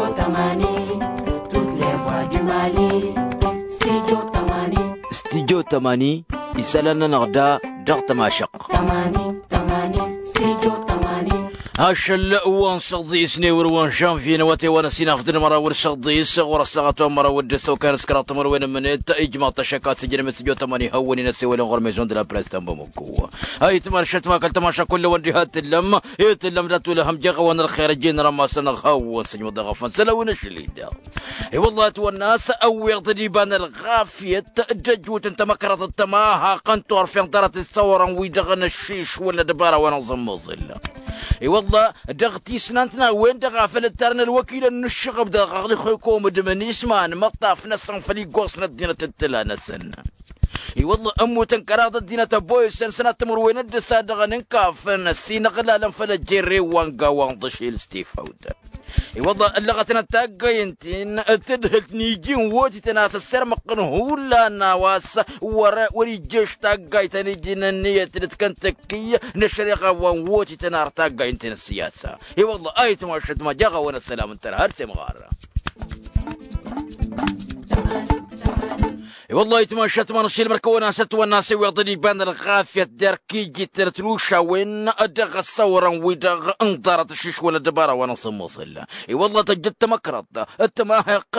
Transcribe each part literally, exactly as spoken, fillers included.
Studio tămani. Studio tămani. Isălan-nănăɣ da dăɣ-tămašăɣt. Ašăl wa n-săḍis n-ewăr wa n-žănvye n-awătay wa n-ăsinăɣ d-măraw d-săḍis ɣur-ăssaɣăt wa n-măraw d-săwkan s-kăraḍ timărwen n-mănet ijmaḍ-t ašăk a-s ijrăm studio tămani hawăn-in-ăssewălăn ɣur-maison de la presse ta n-bamăko. Ayǝtman šătma kăl-tămaša kull-awăn diha t-tǝllăm. I-tǝllăm dat-wăl hăm jeɣ-awăn ălxer ăjjeen rămasăn ăɣ hawăn-săj măḍeɣăfăn sălăwăn ašăl-i-dăɣ. I-wăllah ătwănna a-s ăwweɣ-dd iba n-ălɣafyăt d-ăjut n-tamăkrăḍt d-tămaha ɣăn turfen ḍarăt s-săwrăn-wi-dăɣ n-ăššišwăl n-ăddăbara wa n-aẓǝmmăẓǝl. I-wăllah dăɣ-tisnant n-a-wen-dăɣ a făl ǝttarăn ălwăkilăn n-ǝššăɣăb dăɣ-ăɣlixăy komǝd mănisma n-imăṭṭaf-năsăn făll-iggoẓ n-ăddinăt d-tǝla-năsăn. I-wăllah ămmutăn kăraḍ ăddinăt ăboyăsăn sănat timǝrwen d-ǝssa dăɣ-ănǝnkafăn s-inăɣlalăn făll-ăjjerrew wa n-gawa n-ḍăšel s-tifawt. I-wăllah ăllăɣătnăt taggăyăn-tin tǝdhǝlt n-iji n-wotităn a-s ăssirmăɣ-tăn hullan a-wa s-wăr-ijjež taggayt ta n-iji n-ǝnniyăt d-kăntăkki n-ăššăreɣa wa n-wotităn ar taggayt-in ăssiyasa. I-wăllah ayǝtmašăt ma jaɣ-awăn ăssălam n-tărha har s-imɣar. I-wăllah ayǝtmašăt ma n-ašilmăr kăwăn-asăt wănna s-iwweḍ-dd iba n-ălɣafyăt d-erk iji-tăn ătrušawen dăɣ-ăssăwrăn-wi-dăɣ n-ḍarăt ăššišwăn ăddăbara wa n-asǝmmăẓǝl. I-wăllah tăjjăt tamăkrăḍt d-tămaheɣt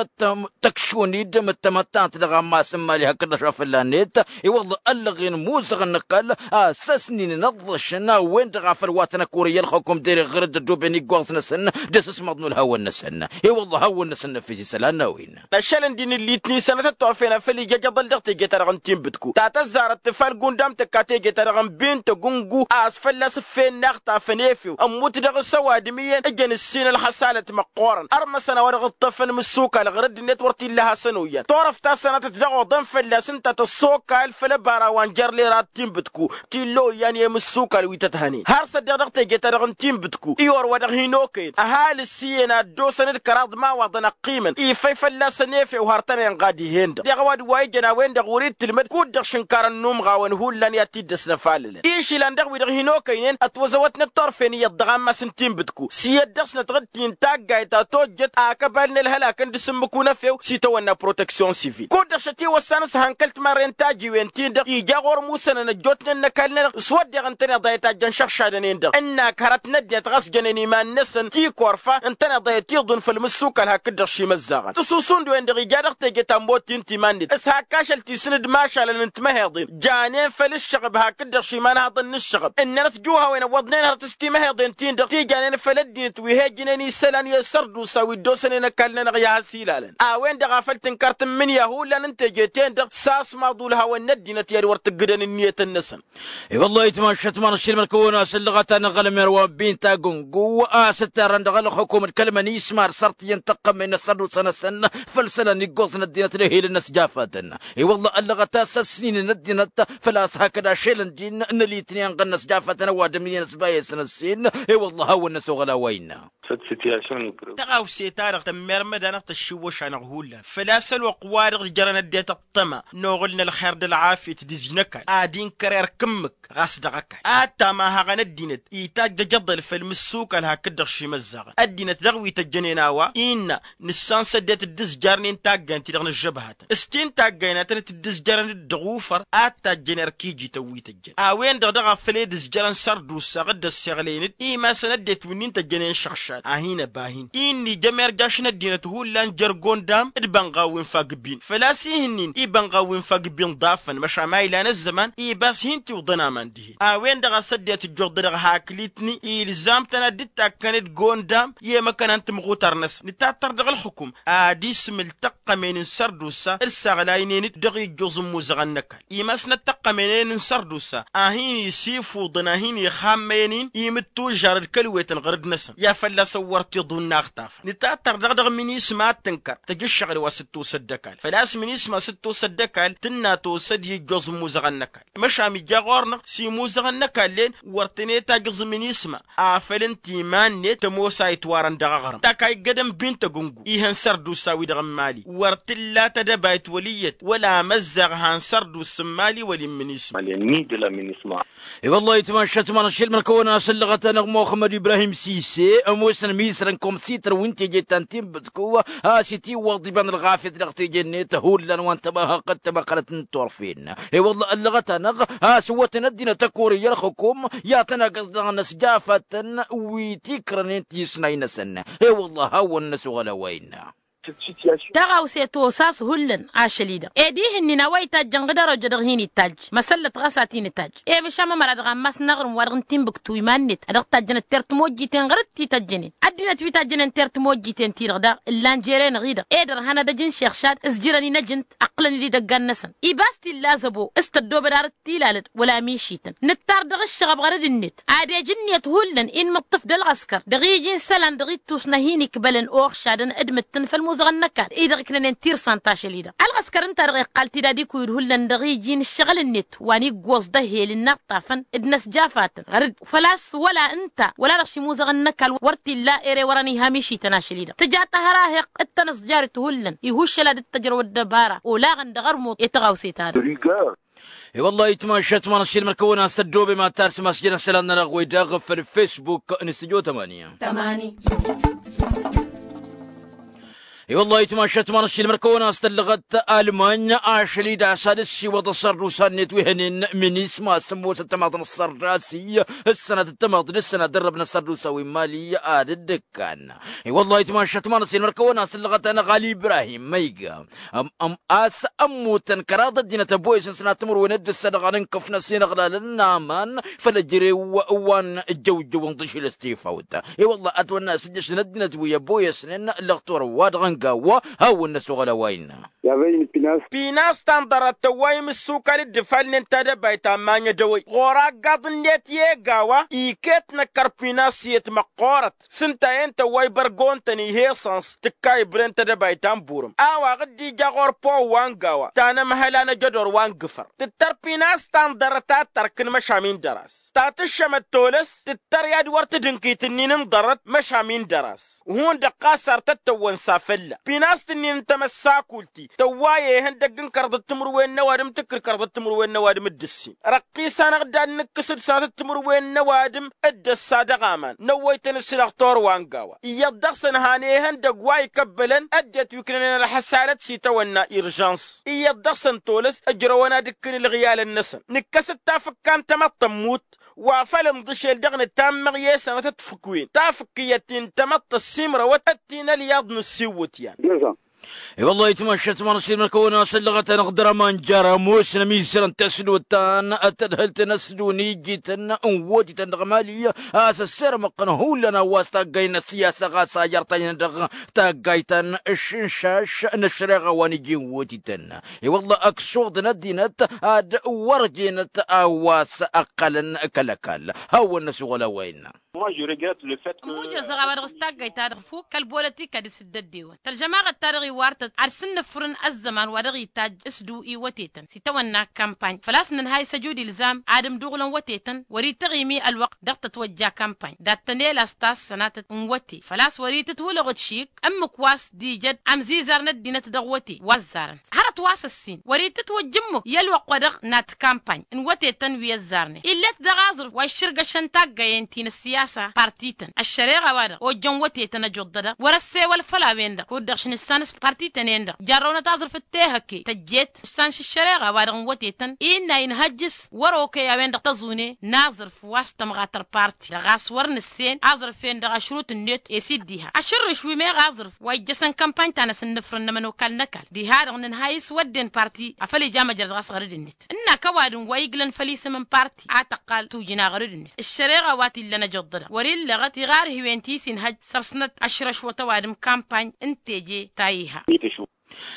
tăkšun-dd mǝttămăttant dăɣ-ammas n-imali hakd-dăɣ šafălla-net. I-wăllah ăllăɣen imuzăɣăn n-ăkall a-s ăsninen ăḍḍăšăn a-wen-dăɣ a făl wa tăn-ăkurăyy ălxăkum dereɣ ɣǝr-dd ăddooben iggoẓ-năsăn d-asǝsmăḍ n-ulhawăn-năsăn. I-wăllah hawăn-năsăn n-efes isălan n-a-wen. Ašăl n-din ǝllitni sănătăt turfen a făl ija jăḍăl dăɣ-teje-ta-dăɣ n-tinbǝtku ta tăzzarăt tǝfal gundam tǝkka teje-ta-dăɣ n-bintăgungu a-s fălla-s ǝffen n-axtafăn efew ămmut dăɣ-s ăwadǝm iyyăn ǝjăn ǝssin ălxăsalăt măqqoorăn ărmăsăn a-wa dăɣ-ǝṭṭăfăn imǝssukal ɣur-ăddinăt wăr t-illa hasăn-oyyan turăft ta sănatăt dăɣ-oḍăn fălla-s ǝnta tăssokal făll-ăbara wa n-jer-lera d-tinbǝtku t-illa oyyan i-imǝssukal wi tăt-hănen har s-ăddeɣ dăɣ-teje-ta-dăɣ n-tinbǝtku i-orwa dăɣ-hin-okăyăn ăhalǝs iyyăn a ăddoosăn d-kăraḍ imawaḍăn ăqqimăn ifăy fălla-săn efew har tăn-inɣad ih'-en-dăɣ deɣ ăwadǝm wa ijăn a-wen-dăɣ wăr-dd tǝlmăd kud-dăɣ šǝnkarăn n-umɣawăn hullan i-ad-t-dd-ăsnăfalălăn išilan dăɣ-wi-dăɣ hin-okăynen ătwăzăwătnăt turfen iyyăḍ dăɣ-ammas n-tinbǝtku s-iyyăt dăɣ-snăt ɣǝd-t-in taggayt ta tojjăt akăbal n-ălhălak n-dd-sǝmmǝk unăfew s-itawănna proteksyon sivil kud-dăɣ šătiwăssan s-hăn kăl-timarren tajiwen-tin-dăɣ ija ɣur-musănăn ăjjootnen n-ăkall-nănăɣ s-wădden ǝntăneḍ a ităjjăn šăɣšadăn-en-dăɣ ǝnnak hărăt n-ăddinăt ɣas jănen iman-năsăn tikorfa ǝntăneḍ a itiḍun făll-imǝssukal hakd-dăɣ šimăzzaɣăn tǝsusund-wen-dăɣ ija dăɣ-teje ta n-bot-ti n-timan-net s-hak ašăl ti-săn d-imašalăn n-timăheḍen janen făll-ǝššăɣăb hakd-dăɣ šimanhaḍăn n-ǝššăɣăb ǝnnănăt juhawen ăwwăḍnen hărăt s-timăheḍen-tin-dăɣ ti janen făll-ăddinăt wi he-ǝjnen isălan i-sărdusa wi dd-osănen ăkall-nănăɣ i-ad-has-ilalăn a-wen-dăɣ a făl tǝnkăr tǝmmǝnǝya hullan n-teje-ten-dăɣ s-asmaḍ ulhawăn n-ăddinăt i-ad-wăr tǝggǝdăn ǝnniyăt-năsăn. I-wăllah ayǝtmašat ma n-ašilmăr kăwăn-asǝllăɣăt anăɣ-ălmer wa n-bin tagǝngu a-s ǝttarrăn dăɣ-ălxukum d-kăl-mănisma ad-sărtǝyăn tăqqămen n-ăssărdusa-năsăn făll-isălan iggoẓ n-ăddinăt d-ehilăn n-ăsjafatăn. I-wăllah ăllăɣăt a-s ăsninen ăddinăt făl-a-s hakd ašăl n-din n-ălitni ănɣăn n-ăsjafatăn ăwadǝm iyyăn ăsbayăsăn ǝssin. I-wăllah hawăn-năsoɣăl a-wa innă. Tăɣawse-ta-dăɣ tămmermăd-anăɣ tăššiwwăš-anăɣ hullan făl-a-s ălwăqq-wa-dăɣ jărăn ăddinăt ăṭṭăma n-oɣǝl n-ălxer d-ălɣafyăt d-izjǝn ăkall ad-inkăr erk ǝmmǝk ɣas dăɣ-ăkall ad-tamahăɣăn ăddinăt itajj ajăḍăl făll-imǝssukal hakd-dăɣ šimăzzaɣăn ăddinăt dăɣ-wi tăjjănen a-wa innă nǝssan s-ăddinăt dd-ǝzjarnen taggayen-ti-dăɣ n-ăžžăbhătăn s-tin taggayen a tănăt-dd-ǝzjărăn-dd dăɣ-ufăr ad-tajjăn erk ijităn wi tăjjăn a-wen-dăɣ daɣ a făl ed ǝzjărăn sărdusa dd-ăssiɣlăyăn-dd imasăn ăddinăt wi-nin tăjjănen šăɣšad a hin-ăba hin-i n-ija merjaš n-ăddinăt hullan jer-gondam d-ibănɣaw wi n-fagg bin făl-a-s ih'-ǝnnin ibănɣaw wi n-fagg bin ḍafăn măšan ma ilan ăzzăman ibas hin-tiwḍăn aman dihen a-wen-dăɣ a-s ăddinăt ǝjjuḍ-dăɣ hakli-tǝnni ilzam-tăn ad-dd-takkăn d-gondam i-emăkăna n-timɣutar-năsăn nǝtattăr dăɣ-ǝlxǝkum ad-ismǝl tăqqămen n-sărdusa d-saɣlaynen-dd dăɣ-ijjuẓ n-imuzăɣăn n-ăkall imasnăt tăqqămenen n-sărdusa a hin-isifuḍăn a hin-ixammăyăn-in imǝttužžar d-kălwetăn ɣur-dd-năsăn i-ad-fălla-săn wăr t-iḍunna aɣtafăn nǝtattăr-dăɣ dăɣ-minisma ad-tǝnkăr tăj ǝššăɣǝl wa s-dd-tosăt d-ăkall făl-a-s minisma s-dd-tosăt d-ăkall tǝnna tosăd i-ijjuẓ n-imuzăɣăn n-ăkall măšan ija ɣur-năɣ s-imuzăɣăn n-ăkall-en wăr tăn-e-tajǝẓ minisma afăl ǝnta iman-net tămoos a itwarăn dăɣ-aɣrǝm tak a iggădăn bintăgǝngu ihăn sărdusa-wi-dăɣ n-imali wăr t-illa tadăbayt wăl' iyyăt wăla amăzzaɣ han sărdusa n-imali wăl-in minisma. I-wăllah itmašat ma n-ašilmăr kăwăn-asǝllăɣăt-anăɣ muxămmăd ibrahim sise. s-ănmisrăn komsităr wi n-teje ta n-tinbǝtku. A-s itiwwăḍ iba n-ălɣafyăt dăɣ-teje-net hullan wa n-tămahăqqăt tămăqqălăt n-turfen. I-wălla ăllăɣăt-anăɣ a-s ǝwwătăn ăddinăt ăkori i-ălxǝkum i-ad-tăn-agǝẓ dăɣ-inăsjafatăn wi tikrănen tisnay-năsăn. I-wălla hawăn-năsoɣăl a-wa innă. Taɣawse tosa a-s hullan ašăl-i-dăɣ ed ih'-ǝnnin a-wa itajjăn ɣǝd ărojă dăɣ-hin-itajj. Măsăllăt ɣas ad-t-in-itajj. Emǝšam ămăra dăɣ-ammas n-aɣrǝm wa dăɣ-n tinbǝktu iman-net a dăɣ-tajjăn ăttert timojjiten ɣur-dd ti tăjjănen ăddinăt wi tajjănen ăttert timojjiten-ti-dăɣ daɣ ǝllan jere-năɣ-i-dăɣ. Ed ărhan ad-ăj n-šexšad s-jirăn-in ăj ǝnta ăqqǝlăn-dd ăgg-annăsăn. Ibas t-illa zăbo s-tăddoobăd ar dd-tilalăd wăla mišităn nǝttar dăɣ-ǝššăɣăb ɣărăd-net ad-ej ǝnniyăt hullan inmǝṭṭǝf d-ălɣăskăr dăɣ-iji n-isălan dăɣ-ittus n-ad-hin-ikbălăn oɣšadăn d-mǝttǝn făll-imuzăɣăn n-ăkall-i-dăɣ iknănen tirsant ašăl-i-dăɣ. Ălɣăskăr ǝnta-dăɣ iqqal-t-dd ad-ikuyǝd hullan dăɣ-iji n-ǝššăɣǝl-net wa n-iggoẓ d-ehel ǝnnaṭṭafăn d-inăsjafatăn ɣărăd făl-a-s wăla ǝnta wăla dăɣ-s imuzăɣăn n-ăkall wăr t-illa ere wărăn iha mišităn ašăl-i-dăɣ tǝja tăhăraheɣt d-tănăẓjarit hullan ihuššăl ad-dd-tăjrăw ăddăbara olaɣăn dăɣ-ărmuḍ i-taɣawse-ta-dăɣ. I-wăllah itmašat manăššilmăr kăwăn-as tăddoobem ad-tarsǝm asjăn asălan-nănăɣ wi-dăɣ făll-fesbuk n-s tăjo tămani. I-wăllah itmašat manăššilmăr kăwăn-as tăllăɣăt almany ašăl-i d-asad ǝssiwăḍ ăssărdusa-net wi hănen minisma s-ămoos ăttămaḍ n-ăssărda s-i ǝssănat ăttămaḍ d-ǝssănat dărrăb n-ăssărdusa wi n-mali ad-dd-ǝkkan. I-wăllah itmašat manăššilmăr kăwăn-as tăllăɣăt-anăɣ ali ibrahim ma iga a-s ămmutăn kăraḍ ăddinăt ăboyăsăn s-nat timǝrwen d-ǝssa dăɣ-anǝnkăf n-asǝnăɣlalăn n-aman făll-ăjrew wa n-jăwjăw n-tišǝl s-tifawt. I-wălla ătwănna a-s ǝjjăšăn ăddinăt wi ăboyăsnen lăɣtor wa dăɣ-ăngawa hawăn-năsoɣăl a-wa innă. Pinas ta n-ḍarăt tăwwa imǝssukal dd-ifalnen tadăbayt ammany ădăwăy ɣur-aggaḍ-net i-egawa iket năkkăr pinas i-ătmăqqorăt. S-ǝnta a-en tăwwa ibărgon-tăn ih'-e săns tǝkka ibren tedăbayt ta n-burǝm a-wa ɣǝd-ija ɣur-pow wa n-gawa ta n-ămhăla n-ejădor wa n-gǝfăr tǝttăr pinas ta n-ḍarăt ad-tărkǝn măšam-in dăr-as ta tǝššămăt tolăs tǝttăr i-ad-wăr tǝdǝnkǝy tǝnnin n-ḍarăt măšam-in dăr-as. Hundăɣ ɣas ar tăt-tăwwănsa fălla pinas tǝnnin n-tamăssakult-ti tăwwa i-ihăndăgg n-kărḍăt timǝrwen n-ăwadǝm tǝkkǝr kărḍăt timǝrwen n-ăwadǝm d-ǝssin răqqis-anăɣ-dd ad-nǝkkǝs d-sănatăt timǝrwen n-ăwadǝm d-ăssa dăɣ-aman năwwăy-tăn s-ilăɣ torwa n-gawa iyyăḍ dăɣ-săn han ihăndăgg wa ikăbbălăn ăddinăt wi ǝknănen ălxăsalăt s-itawănna irjans iyyăḍ dăɣ-săn tolăs ǝjrăwăn ad-ǝkkǝn ǝlɣiyalăn-năsăn nǝkkăs-dd tafǝkka n-tamăḍt tămmut wa făl ǝnḍǝšel dăɣ-nǝtammăɣ i-sănatăt fǝkwen tafǝkkǝyăt-ti n-tamăḍt ăssiimrăwăt d-ti n-ălyaḍ n-ǝssiwwǝtyan. I-wăllah itmašat manăsšilmăr kăwăn-asăllăɣăt-anăɣ dăr-aman jar ămoosnăm izărăn tasdot ta n-tadhǝlt n-asdun ijităn n-wotităn dăɣ-mali a-s ăssirmăqqăn hullan a-wa s-taggay n-ăssiyasa ɣas a jer-tajnăt dăɣ-taggayt ta n-ašǝnšaš n-ăššăreɣa wa n-iji n-wotităn. I-wăllah ăksuḍăn ăddinăt ad-wăr jenăt a-wa s-ăqqalăn kăl-ăkall. Hawăn-năsuɣăl a-wa innă. Ămujrăẓ a-wa dăɣ-s taggayt-ta-dăɣ fuk kăl-bolătika d-isǝddăddewăn tălžămaɣăt-ta-dăɣ iwar-tăt ad-sǝnnǝfrǝn ăzzăman wa dăɣ-itajj s-du iwătetăn s-itawănna kampany făl-a-s nǝnhay s-ăjud ilzam ad-ǝmduɣǝlăn wătetăn wăr-ităɣimi ălwăqq dăɣ-tătwăjja kampany dat-tăn-ela s-ta s-sănatăt n-wăte făl-a-s wăr-itǝtwǝlăɣ d-šik ǝmmǝk wa s-dijăd ămzizar n-ăddinăt dăɣ-wăte wa ăzzarăn hărăt wa s-ăssin wăr-itǝtwăjj ǝmmǝk i-ălwăqq wa dăɣ-nat kampany n-wătetăn wi ăzzarnen ill'-et dăɣ-aẓrǝf wa iššǝrgăšăn taggayen ti n-ăssiyasa partităn ăššăreɣa-wa-dăɣ ojjăn wătetăn ăjoḍḍădăɣ wăr-ăssewăl făll-a-wen-dăɣ kud-dăɣ šnǝssan s-partităn-en-dăɣ jarrăwnăt aẓrǝf d-tehăkke tăjjet ǝssan š-ăššăreɣa-wa-dăɣ n-wătetăn innă inhăjj s-wăr-okăy a-wen-dăɣ tăẓune n-aẓrǝf wa s-tămɣatăr parti dăɣ-a-s wăr nǝssen aẓrǝf-en-dăɣ ašrut-net esi d-diha ašǝrrǝš wi meɣ aẓrǝf wa ijjăsăn kampany ta n-asǝnnǝfrǝn n-ămănokal n-ăkall diha-dăɣ nǝnhay s-wădden parti afăl ija măjrăd ɣas ɣărăd-net ǝnn'-ak ăwadǝm wa iglăn făll-isǝm n-parti a tăqqal tujǝn aɣărăd-net ăššăreɣa wa t-illăn ăjoḍḍădăɣ wăr-illăɣăt iɣarhiwen ti s-inhăjj săr-snăt ăšrăšwăt ăwadǝm kampany n-teje ta iha.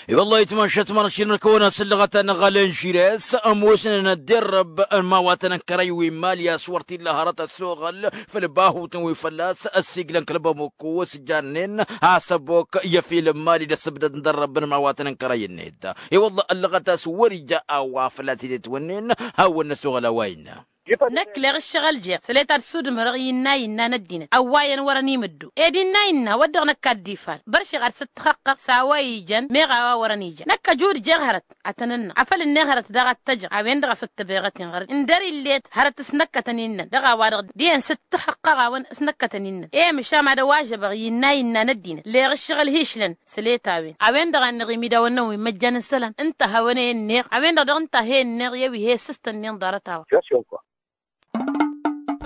I-wăllah itmašat manăššilmăr kăwăn-asǝllăɣăt-anăɣ ălenžires ămoosnen ădderrăb n-imawatăn n-kărăy wi n-mali a-s wăr t-illa hărăt ăssoɣăl făll-bahutăn wi fălla-s ăssiiglăn kăl-bamoko s-jannen asăbok i-efil n-mali d-asǝbdăd n-dărrăb n-imawatăn n-kărăy-net. I-wăllah ăllăɣăt a-s wăr-ija a-wa fălla-s itetwănnen hawăn-năsoɣăl a-wa innă. Năkk leɣ ǝššăɣǝl jeɣ săle ta d-sudǝmărăɣ innă innă n-ăddinăt ăwwayăn wărăn imǝddu ed innă innă wăr dăɣ-năkk ad-dd-ifal. Băršeɣ ad-săt-tăxăqqăɣ s-a-wa ijăn meɣ a-wa wărăn ijăn năkk ăjud jeɣ hărăt ad-tăn-ǝnnăɣ afăl ǝnneɣ hărăt daɣ ad-t-ăjăɣ a-wen-dăɣ a săt-tăbeɣăt inɣăr-dd ǝndăr-illet hărăt s-năkkătăn innăn dăɣ-a-wa-dăɣ dihen săt-tăxăqqăɣ a-wen s-năkkătăn innăn. E măšan ad-ăwažăbăɣ innă innă n-ăddinăt leɣ ǝššăɣǝl hi-išlăn săle ta-wen a-wen-dăɣ a ǝnneɣ imidawăn-năwăn wi n-măjjan n-isălan ǝnta a hawăn-e-ǝnneɣ a-wen-dăɣ dăɣ-ǝnta a he-ǝnneɣ i-ăwi he-ǝssǝstăn-nin ḍarăt-a-wa.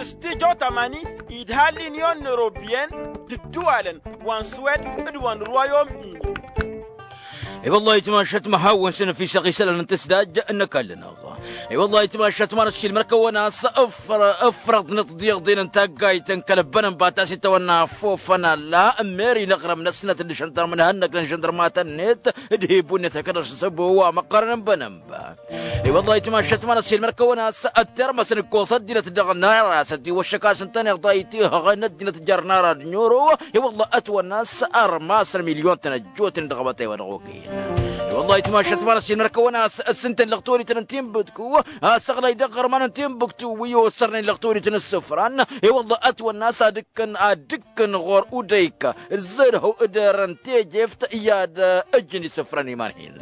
S-tijo tamani idha l'union européenne d-ǝddǝwalăn wa n-swed d-wa n-rwayom ini. I-wăllah itmašat ma hawăn-săn ăfišăɣ isălan n-tǝsdaj n-ăkall-năɣ. I-wăllah itmašat ma n-ăššilmăr-kăwăn a-s ǝfrăḍnăt d-iḍen n-taggayt n-kăl-ăbbănănba ta s-itawănna ăffofăn alla n-meri n-aɣrǝm-năsnăt d-ašăndărm n-ihănnăk n-ašăndărmatăn-net d-hi-bunnet hakd ăššăsăbo wa măqqărăn n-bănănba. I-wăllah itmašat ma n-ăššilmăr-kăwăn a-s ăttermăsăn ǝkkoẓ ăddinăt dăɣ-nara s-ătiwăššăk a-s ǝntăneḍ a itihăɣăn ăddinăt jer-nara d-noro. I-wăllah ătwănna a-s ărmasăn milyon-tăn ăjjootnen dăɣ-abătay wa dăɣ-okăyăn. I-wăllah itmašat ma n-ăššilmăr-kăwăn a-s ǝssǝntăn lăɣtorităn n-tinbǝtku a-s ăɣlay dăɣ-iɣărman n-tinbǝktu wi osărnen lăɣtorităn n-isǝfran. I-wăllah ătwănna a-s ad-ǝkkăn ad-ǝkkăn ɣur-udăyk ǝzzărhăw d-erăn tejeft i-ad-ǝjǝn isǝfran iman-hin.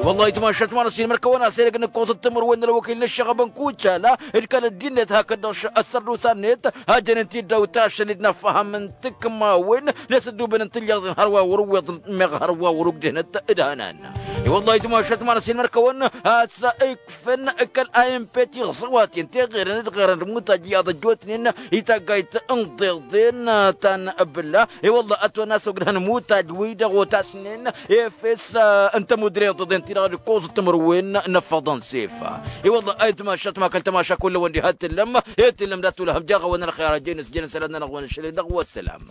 I-wăllah itmašat ma n-ăššilmăr-kăwăn a-s edăgg n-ǝkkoẓăt timǝrwen n-ălwăkil n-ǝššăɣăb n-kucala d-kăl-ăddinnet hakd-dăɣ ăssărdusa-net a jănen-t-dd dăw-tašăl d-inăffăhăm n-tikmawen n-asǝddubăn n-tilliḍen hărwa wăr-ǝwweḍ meɣ hărwa wăr-ugdehnăt d-hănan. I-wăllah itmašat ma n-ăššilmăr-kăwăn a-s ikfăn kăl-a n p tiɣẓăwaten teɣerăn d-ɣerăn d-mutaj iyyăḍ ăjjootnen i-taggayt n-iḍeḍen ta n-bǝlla. I-wăllah ătwănna a-s ogdăhăn mutaj-wi-dăɣ otasnen efes n-tămudre iḍeḍen-ti-dăɣ d-ǝkkoẓăt timǝrwen n-ăffăḍăn s-efa. I-wăllah a itmašat ma kăl-tămaša kull-wăn diha t-tǝllăm e t-tǝllăm dat-tulăhăm jaɣ-awăn ălxer a jănăs jănăs ălănnănăɣ-wăn ǝššălăy-dăɣ wa ăssălam.